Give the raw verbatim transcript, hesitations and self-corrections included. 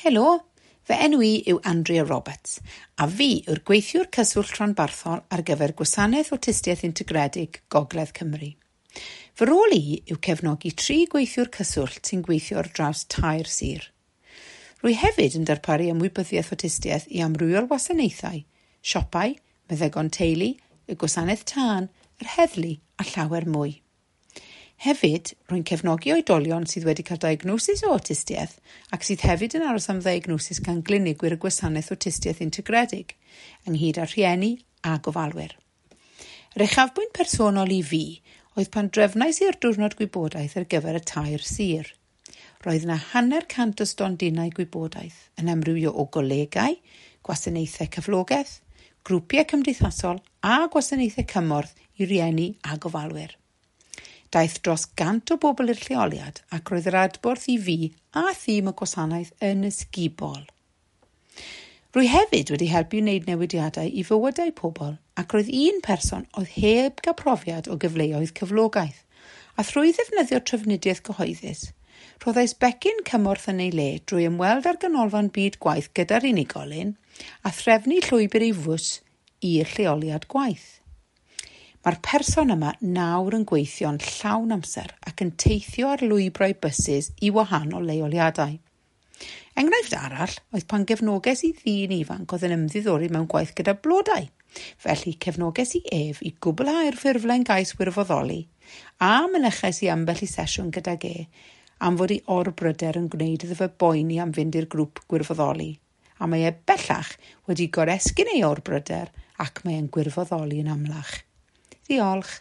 Helo, fy enw i yw Andrea Roberts a fi yw'r gweithiwr cyswllt rhanbarthol ar gyfer Gwasanaeth Awtistiaeth Integredig Gogledd Cymru. Fy rôl i yw cefnogi tri gweithiwr cyswllt sy'n gweithio ar draws tair sir. Rwy hefyd yn darparu ymwybyddiaeth awtistiaeth i amrywiol wasanaethau, siopau, meddygon teulu, y gwasanaeth tân, yr heddlu a llawer mwy. Hefyd, rwy'n cefnogi oedolion sydd wedi cael diagnosis o awtistiaeth ac sydd hefyd yn aros am ddiagnosis gan glinigwyr y gwasanaeth awtistiaeth integredig, ynghyd â rhieni a gofalwyr. Yr uchafbwynt personol i fi oedd pan drefnais i'r diwrnod gwybodaeth ar gyfer y tair sir. Roedd yna hanner cant o stondinau gwybodaeth yn amrywio o golegau, gwasanaethau cyflogaeth, grwpiau cymdeithasol a gwasanaethau cymorth i rieni a gofalwyr. Daeth dros gant o bobl i'r lleoliad ac roedd yr adborth i fi a thîm y gwasanaeth yn ysgubol. Rwy hefyd wedi helpu wneud newidiadau i fywydau pobl ac roedd un person oedd heb gael profiad o gyfleoedd cyflogaeth, a thrwy ddefnyddio trafnidiaeth gyhoeddus, rhoddais becyn cymorth yn ei le drwy ymweld â'r ganolfan byd gwaith gyda'r unigolyn a threfnu llwybr ei fws i'r lleoliad gwaith. Mae'r person yma nawr yn gweithio'n llawn amser ac yn teithio ar lwybrau bysus i wahanol leoliadau. Enghraifft arall oedd pan gefnoges i ddyn ifanc oedd yn ymddiddori mewn gwaith gyda blodau. Felly cefnoges i ef i gwblhau'r ffurflen gais wirfoddoli a mynychais i ambell i sesiwn gydag e am fod ei orbryder yn gwneud iddo fe boeni am fynd i'r grŵp gwirfoddoli. A mae e bellach wedi goresgyn ei orbryder ac mae e'n gwirfoddoli yn amlach. Diolch.